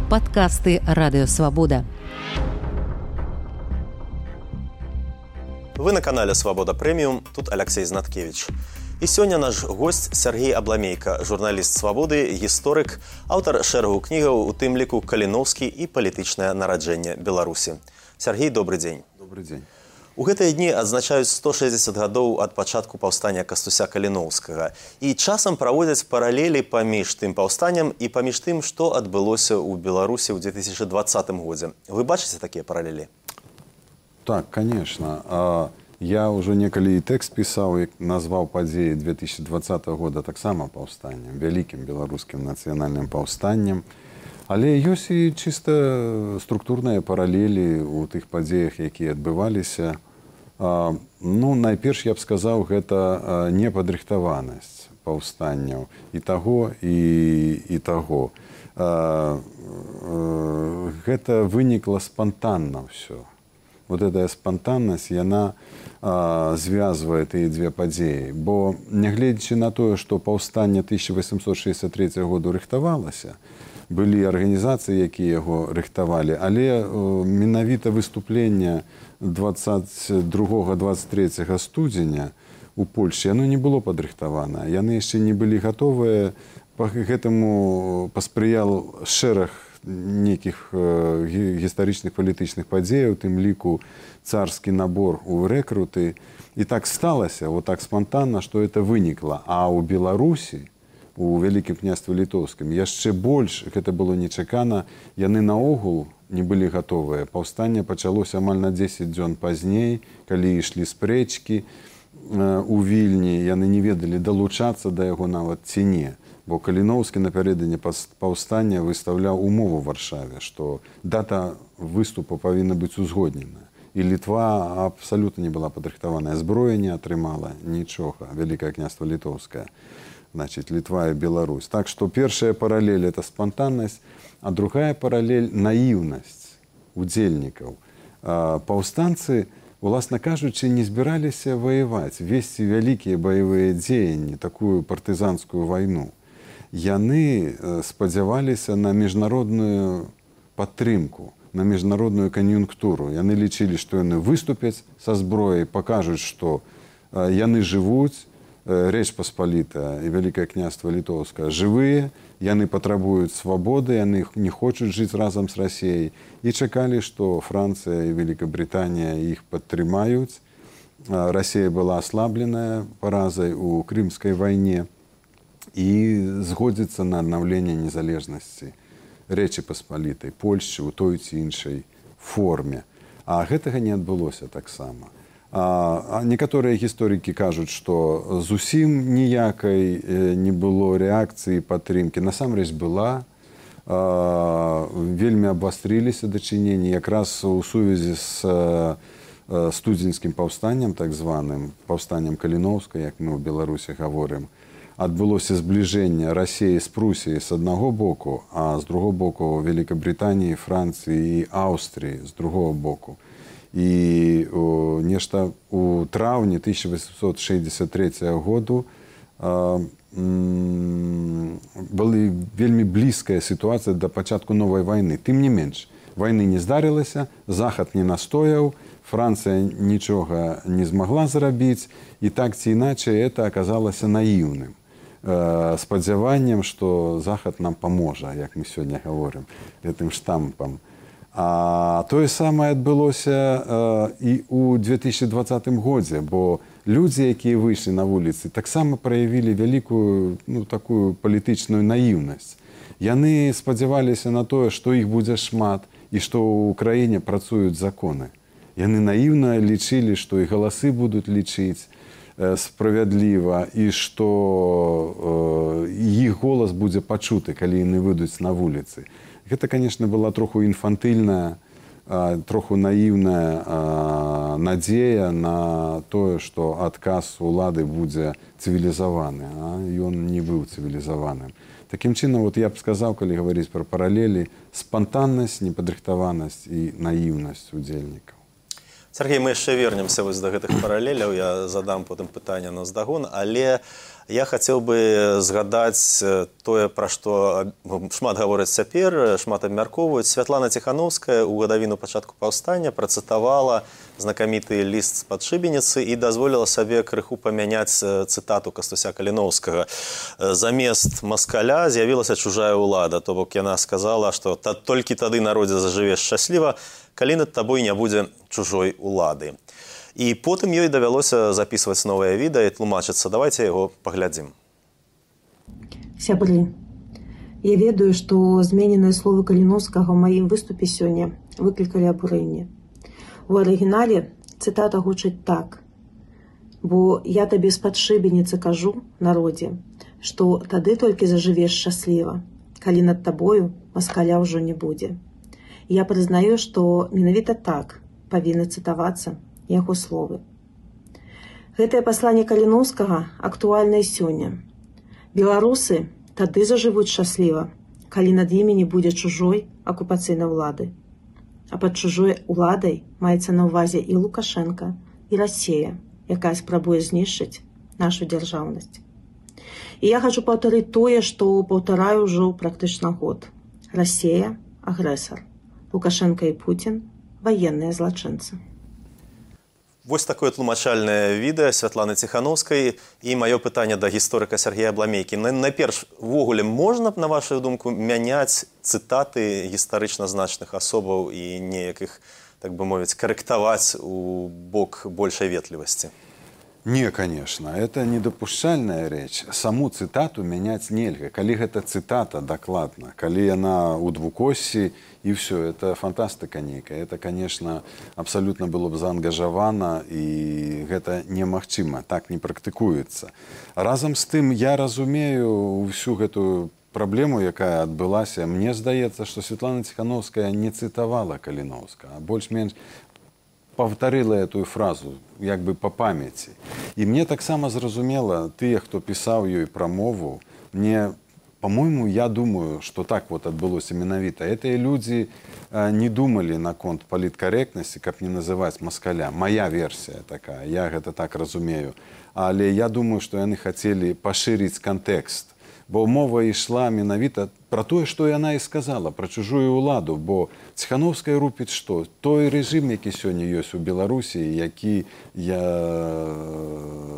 Падкасты Радыёвабода. Вы на канале «Свобода Премиум», тут Алексей Знаткевич. І сёння наш гость Сергей Абламейка, журналіст «Свабоды», гісторык, аўтар шэрагу кнігаў, у тым ліку «Каліноўскі» і «Палітычнае нараджэнне Беларусі». Сергей, добрый дзень. Добрый дзень. У гэтыя дні адзначаюць 160 гадоў ад пачатку паўстання Кастуся Каліноўскага. І часам праводзяць паралелі паміж тым паўстаннем і паміж тым, што адбылося ў Беларусі ў 2020 годзе. Вы бачыце такія паралелі? Так, конечно. Я уже некалі тэкст пісаў, як назваў падзеі 2020 года таксама паўстаннем, вялікім беларускім нацыянальным паўстаннем. Але ёсць і чыста структурныя паралелі ў тых падзеях, якія адбываліся. Найперш я б сказаў, гэта непадрыхтаванасць паўстанняў і таго, і таго. Гэта вынікла спантанна ўсё. Вот эта спонтанность, яна звязвае тыя дзве падзеі. Бо, нягледзячы на тое, што паўстанне 1863 году рыхтавалася, былі арганізацыі, якія яго рыхтавалі, але менавіта выступленне 22-23 студзеня у Польшчы, яно не было падрыхтавана. Яны яшчэ не былі гатовыя, гэтаму паспрыял шэраг нейкіх гістарычных палітычных падзеяў, тым ліку царскі набор у рэкруты. І так сталася, вот так спонтанна, што это вынікла. А ў Беларусі, у Вялікім княстве Літоўскім, яшчэ больш, гэта было нечакана, яны наогул не былі гатовыя. Паўстанне пачалося амаль на 10 дзён пазней, калі ішлі спрэчкі у Вільні, яны не ведалі, далучацца да яго нават ці не. Бо Каліноўскі напярэдадні паўстання выстаўляў умову ў Варшаве, што дата выступу павінна быць узгоднена. І Літва абсалютна не была падрыхтаваная, зброя не атрымала нічога, Вялікае княства Літоўскае, значит, Літва і Беларусь. Так што першая паралель – это спантаннасць, а другая паралель – наіўнасць удзельнікаў. Паўстанцы, уласна кажучы, не збіраліся ваяваць, весці вялікія баявыя дзеянні, такую партызанскую вайну. Яны спадзяваліся на міжнародную падтрымку, на міжнародную кан'юнктуру. Яны лічылі, што яны выступяць са зброяй, пакажуць, што яны жывуць, Рэч Паспалітая і Вялікае княства Літоўскае жывыя, яны патрабуюць свабоды, яны не хочуць жыць разам з Расіяй і чакалі, што Францыя і Великабританія іх падтрымаюць. Расія была аслабленая паразай у Крымскай вайне і згодзіцца на аднаўленне незалежнасці Рэчы Паспалітай, Польшчы ў той ці іншай форме. А гэтага не адбылося таксама. Некаторыя гісторыкі кажуць, што зусім ніякай не было рэакцыі падтрымкі. Насамрэч была, вельмі абвастрыліся дачыненні якраз у сувязі з студзеньскім паўстаннем, так званым паўстаннем Каліноўска, як мы ў Беларусі гаворым. Адбылося збліжэнне Расіі з Прусіяй з аднаго боку, а з другого боку Великабританіі, Францыі і Аўстрыі з другого боку. І нешта у траўні 1863 году была вельмі блізкая сітуацыя да пачатку новай вайны. Тым не менш, вайны не здарылася, Захад не настояў, Францыя нічога не змагла зрабіць, і так ці іначай это аказалася наіўным спадзяваннем, што Захад нам паможа, як мы сёння гаворым, гэтым штампам. А тое самае адбылося і ў 2020 годзе, бо людзі, якія выйшлі на вуліцы, таксама праявілі вялікую такую палітычную наіўнасць. Яны спадзяваліся на тое, што іх будзе шмат і што ў краіне працуюць законы. Яны наіўна лічылі, што і галасы будуць лічыць справядліва і што іх голас будзе пачуты, калі яны выйдуць на вуліцы. Гэта, конечно, была троху інфантыльная, троху наіўная надзея на тое, што адказ улады будзе цывілізаваны, а ён не быў цывілізаваным. Такім чынам, я б сказаў, калі гаварыць пра паралелі, спантаннасць, непадрыхтаванасць і наіўнасць удзельнікаў. Сергей, мы яшчэ вернемся да гэтых паралеляў, я задам потым пытанне наздагон, але Я хацеў бы згадаць тое, пра што шмат гавораць цяпер, шмат абмяркоўваюць. Святлана Ціхановская ў гадавіну пачатку паўстання працытавала знакаміты ліст з-пад шыбеніцы і дазволіла сабе крыху памяняць цытату Кастуся Каліноўскага. Замест маскаля з'явілася чужая ўлада, то бок яна сказала, што толькі тады народзе зажывеш шчасліва, калі над табой не будзе чужой улады. І потым ёй давялося записываць новае відэа і тлумачыцца. Давайте яго паглядзім. Сябры, я ведаю, што змененыя словы Каліноўскага ў маім выступе сёння выклікалі абурэнне. У арыгінале цытата гучыць так. Бо я табе з-пад шыбеніцы кажу, народзе, што тады толькі зажывеш шчасліва, калі над табою маскаля ўжо не будзе. Я прызнаю, што менавіта так павінны цытавацца яго словы. Гэтае пасланне Каліноўскага актуальнае сёння. Беларусы тады зажывуць шчасліва, калі над імі не будзе чужой акупацыйнай улады. А пад чужой уладай маецца на ўвазе і Лукашенка, і Расія, якая спрабуе знішчыць нашу дзяржаўнасць. І я хачу паўтарыць тое, што паўтараю ўжо практычна год. Расія – агрэсар. Лукашенка і Путін – ваенныя злачынцы. Вось такое тлумачальнае відэа Святланы Ціхановскай і маё пытанне да гісторыка Сергея Абламейкі. Найперш, увогуле можна, на вашу думку, мяняць цытаты гістарычна значных асобаў і неяк іх, так бы мовіць, карэктаваць у бок большай ветлівасці? Не, конечно, это недопушчальная рэч. Саму цытату мяняць нельга. Калі гэта цытата дакладна, калі яна ў двукоссі, і все, это фантастыка нейкая. Это, конечно, абсолютно было б заангажавана, і гэта немагчыма, так не практыкуецца. Разам з тым, я разумею ўсю гэтую праблему, якая адбылася. Мне здаецца, што Святлана Ціхановская не цытавала Каліноўскага, а больш-менш повторила эту фразу, як бы по памяти. И мне так само зразумела, тыя, хто пісаў ёй прамову, мне, по-моему, я думаю, что так вот адбылося менавіта. Этыя людзі не думали наконт паліткарэктнасці, каб не называць маскаля. Моя версія такая, я гэта так разумею. Але я думаю, што яны хацелі пашырыць кантэкст. Бо мова ішла менавіта пра тое, што яна і сказала, пра чужую ўладу. Бо Ціхановская рупіць што? Той рэжым, які сёння ёсць у Беларусі, які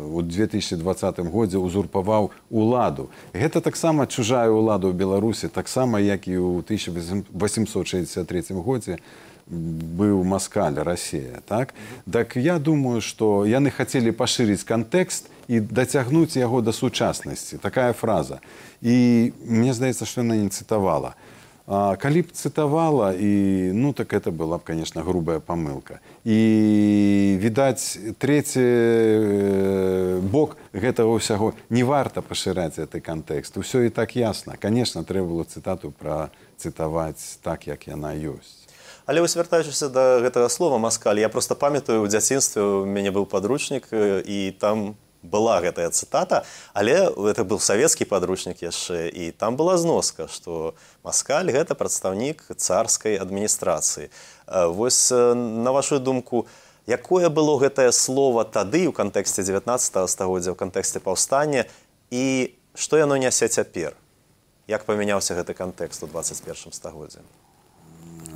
у 2020 годзе узурпаваў уладу. Гэта таксама чужая ўлада ў Беларусі, таксама, як і ў 1863 годзе быў маскаль, Расія. Так я думаю, што яны хацелі пашырыць кантэкст і дацягнуць яго да сучаснасці. Такая фраза. І мне здаецца, што яна не цытавала. Калі б цытавала, так это была б, конечно, грубая памылка. І, відаць, трэці бок гэтага ўсяго не варта пашыраць гэты кантэкст. Усё і так ясна. Конечно, трэба было цытату працытаваць так, як яна ёсць. Але вось вяртаючыся да гэтага слова «маскаль», я просто памятаю, у дзяцінстве у мяне быў падручнік, і там была гэтая цытата, але это быў савецкі падручнік яшчэ, і там была зноска, што маскаль – гэта прадстаўнік царскай адміністрацыі. Вось, на вашу думку, якое было гэтае слово тады ў кантэксце 19 стагоддзя, ў кантэксце паўстання, і што яно нясе цяпер? Як памяняўся гэты кантэкст у 21 стагоддзі?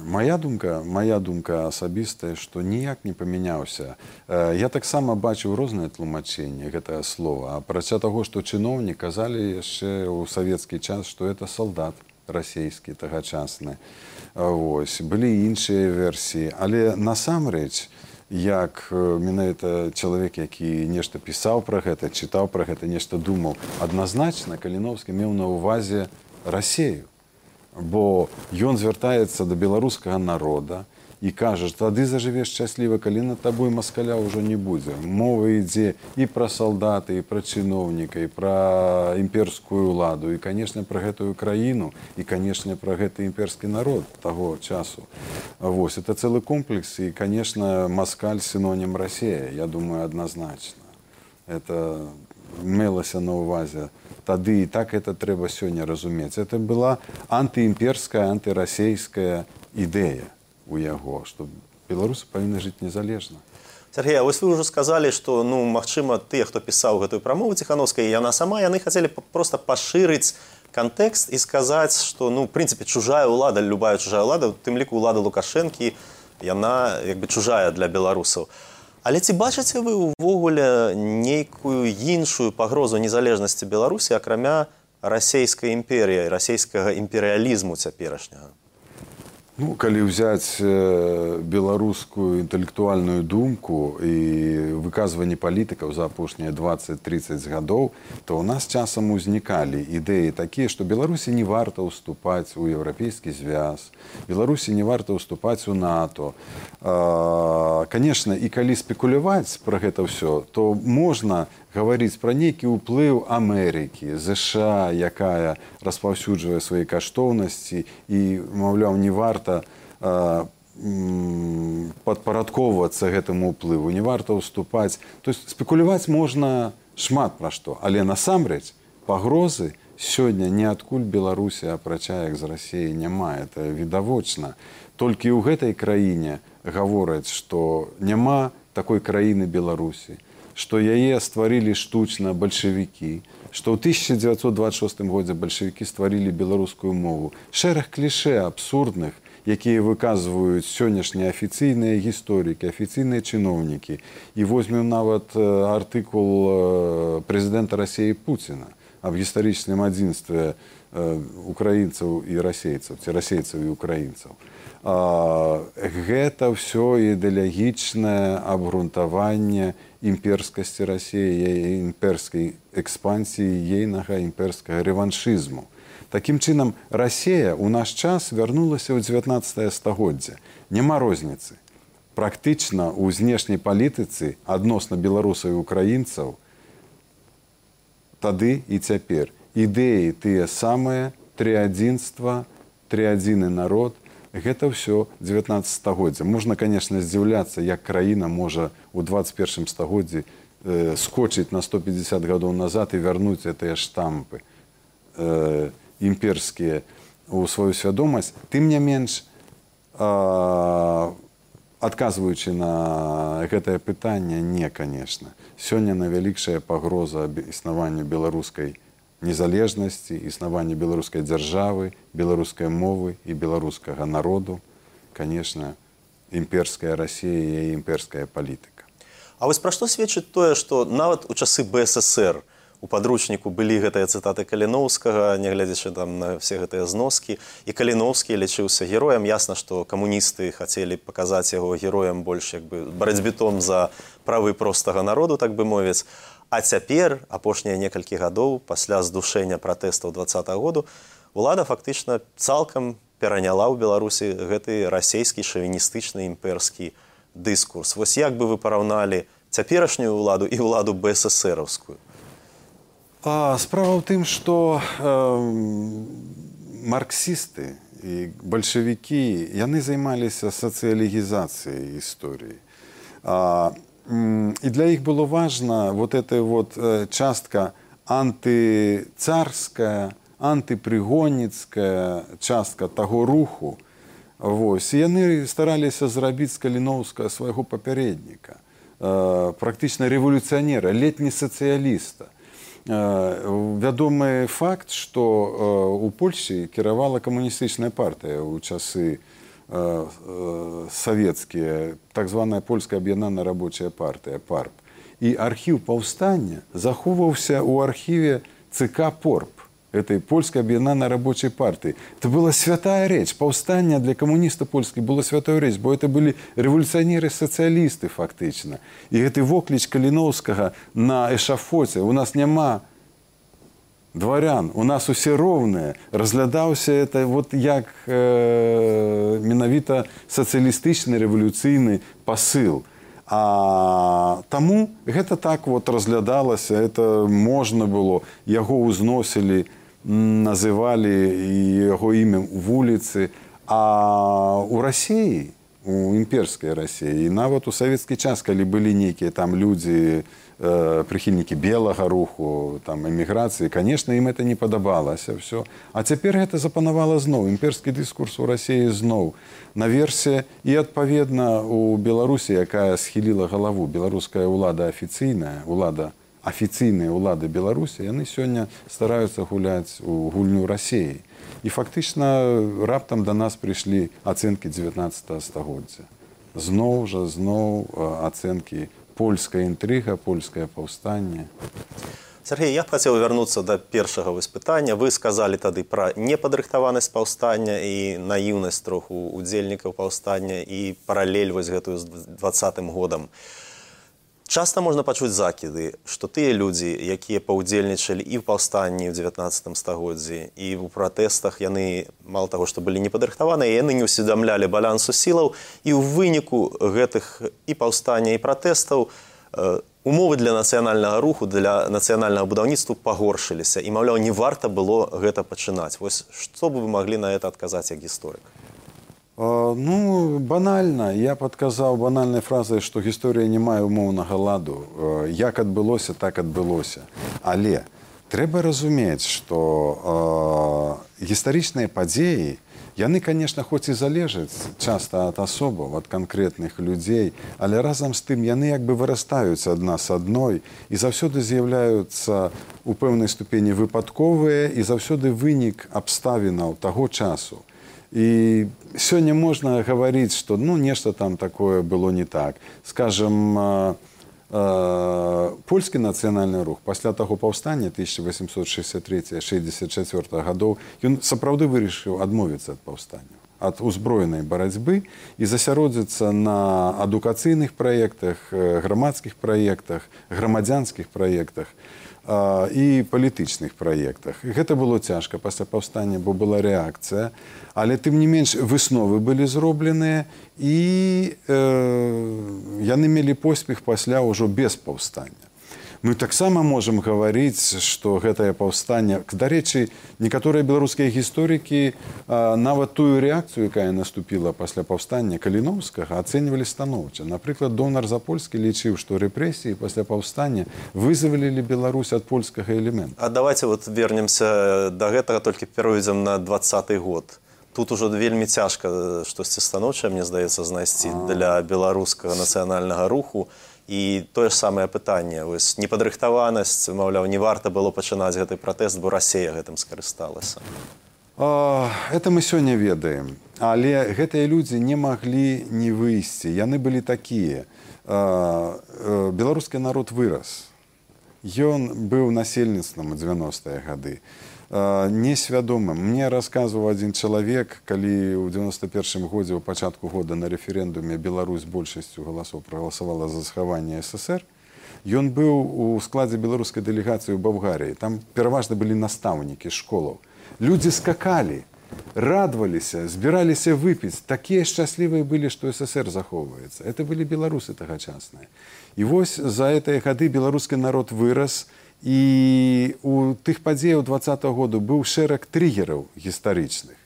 Моя думка асабістая, што ніяк не памяняўся. Я таксама бачыў розныя тлумачэнні гэтага слова. Апрача таго, што чыноўнікі казалі яшчэ ў савецкі час, што это салдат расійскі тагачасны. Былі іншыя версіі. Але насамрэч, як менавіта чалавек, які нешта пісаў пра гэта, чытаў пра гэта, нешта думаў, адназначна Каліноўскі меў на ўвазе Расію. Бо ён звяртаецца да беларускага народа і кажа, тады зажывеш шчасліва, калі над табой маскаля ўжо не будзе. Мова ідзе і пра салдаты, і пра чыноўніка, і пра імперскую ўладу, і, канешне, пра гэтую краіну, і, канешне, пра гэты імперскі народ таго часу. Вось, это цэлы комплекс, і, канешне, маскаль синонім Расія, я думаю, адназначна. Это мелася на ўвазе тады, і так это трэба сёння разумець. Это была антыімперская, антырасейская ідэя у яго, што беларусы павінны жыць незалежна. Сергей, а вось вы ўжо сказалі, што магчыма тыя, хто пісаў гэтую прамову Ціхановскай, яна сама, яны хацелі проста пашырыць кантэкст і сказаць, што в прынцыпе чужая ўлада, любая чужая ўлада, у тым ліку ўлада Лукашэнкі, яна як бы чужая для беларусаў. Але ці бачыце вы ўвогуле нейкую іншую пагрозу незалежнасці Беларусі, акрамя расійскай імперіі, расійскага імперыялізму цяперашняга? Калі ўзяць беларускую інтэлектуальную думку і выказванні палітыкаў за апошнія 20-30 гадоў, то ў нас часам узнікалі ідэі такія, што Беларусі не варта ўступаць у Еўрапейскі звяз, Беларусі не варта ўступаць у НАТО. Канешне, і калі спекуляваць пра гэта ўсё, то можна гаварыць пра нейкі ўплыў Амерыкі, ЗША, якая распаўсюджвае свае каштоўнасці і, маўляў, не варта падпарадковвацца гэтаму ўплыву, не варта ўступаць. То есть спекуляваць можна шмат пра што, але насамрэч пагрозы сёння ніадкуль Беларусі, апрача як з Расіі, няма. Это відавочна. Толькі ў гэтай краіне гавораць, што няма такой краіны Беларусі, што яе стварылі штучна бальшавікі, што ў 1926 годзе бальшавікі стварылі беларускую мову. Шэраг клішэ абсурдных, якія выказваюць сённяшнія афіцыйныя гісторыкі, афіцыйныя чыноўнікі. І возьмем нават артыкул прэзідэнта Расіі Пуціна аб гістарычным адзінстве украінцаў і расейцаў, ці расейцаў і украінцаў. Гэта ўсё ідэалагічнае абгрунтаванне імперскасці Расіі, імперскай экспансіі, ейнага імперскага рэваншызму. Такім чынам, Расія ў наш час вярнулася ў 19 стагоддзе. Няма розніцы. Практычна ў знешняй палітыцы адносна беларусаў і украінцаў тады і цяпер. Ідэі тыя самыя, трыадзінства, трыадзіны народ, гэта ўсё 19 стагоддзя. Можна, канешне, здзіўляцца, як краіна можа ў 21 стагоддзі скочыць на 150 гадоў назад і вярнуць гэтыя штампы імперскія ў сваю свядомасць. Тым не менш, адказваючы на гэтае пытанне, не, канешне. Сёння найвялікшая пагроза існаванню беларускай незалежнасці, існаванню беларускай дзяржавы, беларускай мовы і беларускага народу, канешне, імперская Расія і імперская палітыка. А вось пра што сведчыць тое, што нават у часы БССР у падручніку былі гэтыя цытаты Каліноўскага, нягледзячы там на все гэтыя зноскі, і Каліноўскі лічыўся героем. Ясна, што камуністы хацелі паказаць яго героем больш як бы барацьбітом за правы простага народу, так бы мовіць. А цяпер, апошнія некалькі гадоў, пасля здушэння пратэстаў 20-го году, улада фактычна цалкам пераняла ў Беларусі гэты расійскі шавіністычны імперскі дыскурс. Вось як бы вы параўналі цяперашнюю ўладу і ўладу БССРаўскую? Справа ў тым, што марксісты і бальшавікі, яны займаліся сацыялігізацыяй гісторыі. І для іх было важна вот эта вот частка антыцарская, антыпрыгонніцкая частка таго руху. Вось. І яны стараліся зрабіць з Каліноўскага свайго папярэдніка, практычна рэвалюцыянера, летні сацыяліста. Вядомы факт, што у Польшчы кіравала камуністычная партыя ў часы савецкія, так званая польская аб'яднаная рабочая партыя, ПАРП. І архіў паўстання захоўваўся ў архіве ЦК ПОРП, этой польскай аб'яднанай рабочай партыі. Это была святая рэч. Паўстанне для камуніста польскай было святой рэч, бо это былі рэвалюцыянеры-сацыялісты фактычна. І гэты вокліч Каліноўскага на эшафоце, у нас няма дварян, у нас усе роўныя, разглядаўся это вот як менавіта сацыялістычны рэвалюцыйны пасыл. А таму гэта так вот разглядалася, это можна было, яго ўзносілі, называлі яго імем вуліцы. А у Расіі, у імперскай Расіі, і нават у савецкі час, калі былі нейкія там людзі прыхільнікі белага руху, там, эміграцыі, конечно, ім это не падабалася все. А цяпер гэта запанавала зноў. Імперскі дыскурс у Расіі зноў наверсе, і адпаведна у Беларусі, якая схіліла галаву, беларуская ўлада афіцыйная, афіцыйныя ўлады Беларусі, яны сёння стараюцца гуляць у гульню Расіі. І фактычна раптам да нас прыйшлі ацэнкі 19 стагоддзя. Зноў ацэнкі польская інтрыга, польскае паўстанне. Сергей, я б хацеў вярнуцца да першага пытання. Вы сказалі тады пра непадрыхтаванасць паўстання і наіўнасць троху удзельнікаў паўстання і паралель вось гэтую з 20-м годам. Часта можна пачуць закіды, што тыя людзі, якія паўдзельнічалі і ў паўстанні ў 19 стагоддзі, і ў пратэстах, яны, мала таго, што былі непадрыхтаваныя, яны не ўсведамлялі балансу сілаў, і ў выніку гэтых і паўстання, і пратэстаў умовы для нацыянальнага руху, для нацыянальнага будаўніцтва пагоршыліся. І, маўляў, не варта было гэта пачынаць. Вось што бы вы маглі на гэта адказаць як гісторык? Ну, банальна. Я падказаў банальнай фразай, што гісторыя не мае умоўнага ладу. Як адбылося, так адбылося. Але трэба разумець, што гістарычныя падзеі, яны, конечно, хоць і залежаць часта ад асобаў, ад канкрэтных людзей, але разам з тым яны як бы вырастаюць адна з адной і заўсёды з'яўляюцца ў пэўнай ступені выпадковыя і заўсёды вынік абставінаў таго часу. І сёння можна гаварыць, што нешта там такое было не так. Скажем, польскі нацыянальны рух пасля таго паўстання 1863-64 гадоў, ён сапраўды вырашыў адмовіцца ад паўстання, ад узброенай барацьбы і засяродзіцца на адукацыйных праектах, грамадскіх праектах, грамадзянскіх праектах і палітычных праектах. Гэта было цяжка пасля паўстання, бо была рэакцыя, але тым не менш высновы былі зробленыя і яны мелі поспех пасля ўжо без паўстання. Мы таксама можам гаварыць, што гэтае паўстанне, дарэчы, некаторыя беларускія гісторыкі нават тую рэакцыю, якая наступіла пасля паўстання Каліноўскага, ацэньвалі станоўча. Напрыклад, Донар Запольскі лічыў, што рэпрэсіі пасля паўстання вызвалілі Беларусь ад польскага элемента. А давайте вернемся да гэтага, толькі перайдзем на 20-й год. Тут ужо вельмі цяжка штосьці станоўчае, мне здаецца, знайсці для беларускага нацыянальнага руху. І тое ж самае пытанне, непадрыхтаванасць, маўляў, не варта было пачынаць гэты пратэст, бо Расія гэтым скарысталася. Это мы сёння ведаем. Але гэтыя людзі не маглі не выйсці. Яны былі такія. Беларускі народ вырас. Ён быў насельніцтвам у 90-е гады. Несвядомым. Мне расказваў адзін чалавек, калі ў 91-м годзе, у пачатку года на рэферэндуме Беларусь большасцю галасоў прагаласавала за захаванне СССР. Ён быў у складзе беларускай дэлегацыі ў Балгарыі. Там пераважна былі настаўнікі школаў. Людзі скакалі, радаваліся, збіраліся выпіць. Такія шчаслівыя былі, што СССР захоўваецца. Это былі беларусы тагачасныя. І вось за гэтыя гады беларускі народ вырас. І у тых падзеяў 20-го году быў шэраг трыгераў гістарычных.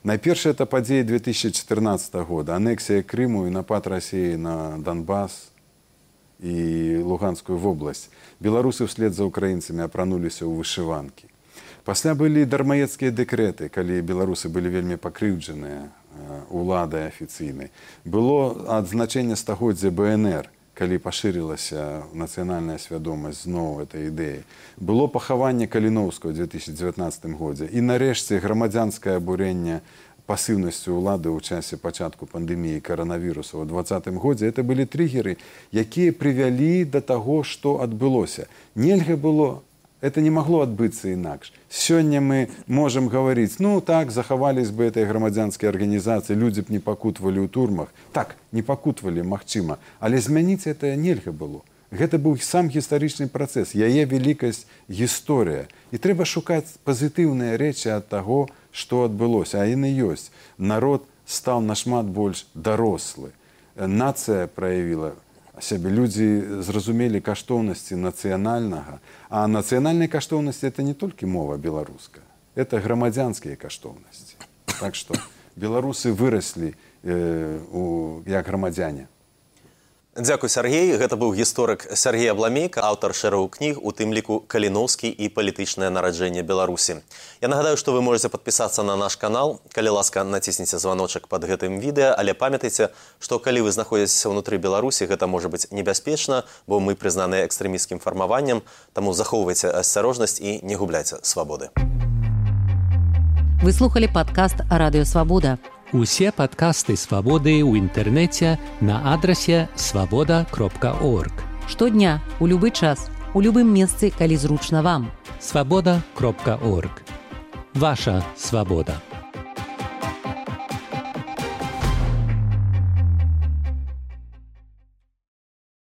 Найперш это падзеі 2014 года, анексія Крыму і напад Расіі на Донбас і Луганскую вобласць. Беларусы ўслед за украінцамі апрануліся ў вышыванкі. Пасля былі дармаецкія дэкрэты, калі беларусы былі вельмі пакрыўджаныя уладай афіцыйнай. Было адзначэнне стагоддзя БНР, калі пашырылася нацыянальная свядомасць зноў этой ідэі. Было пахаванне Каліноўскага ў 2019 годзе. І нарэшце грамадзянскае абурэнне пасыўнасцю ўлады ў часе пачатку пандэміі каранавіруса ў 2020 годзе. Это былі трыгеры, якія прывялі да таго, што адбылося. Нельга было, это не магло адбыцца інакш. Сёння мы можам гаварыць, так, захавались бы этой грамадзянскай арганізацыі, людзі б не пакутвалі ў турмах. Так, не пакутвалі, магчыма, але змяніць это нельга было. Гэта быў сам гістарычны працэс, яе вялікасць гісторыя. І трэба шукаць пазітыўныя рэчы ад таго, што адбылося. А яны ёсць. Народ стаў нашмат больш дарослы. Нацыя праявіла сябе. Людзі зразумелі каштоўнасці нацыянальнага. А нацыянальныя каштоўнасці – это не толькі мова беларуская. Это грамадзянскія каштоўнасці. Так што беларусы выраслі як грамадзяне. Дзякуй, Сергей. Гэта быў гісторык Сергей Абламейка, аўтар шэрагу кніг, у тым ліку «Каліноўскі і палітычнае нараджэнне Беларусі». Я нагадаю, што вы можаце падпісацца на наш канал. Калі ласка, націсніце званочак пад гэтым відэа, але памятайце, што калі вы знаходзіцеся ўнутры Беларусі, гэта можа быць небяспечна, бо мы прызнаныя экстрэмісцкім фармаваннем, таму захоўвайце асцярожнасць і не губляйце свабоды. Вы слухали падкаст «Радыё Свабода». Усе падкасты «Свабоды» ў інтэрнэце на адрасе свабода.орг. Штодня, у любы час, у любым месцы, калі зручна вам. Свабода.орг. Ваша свабода.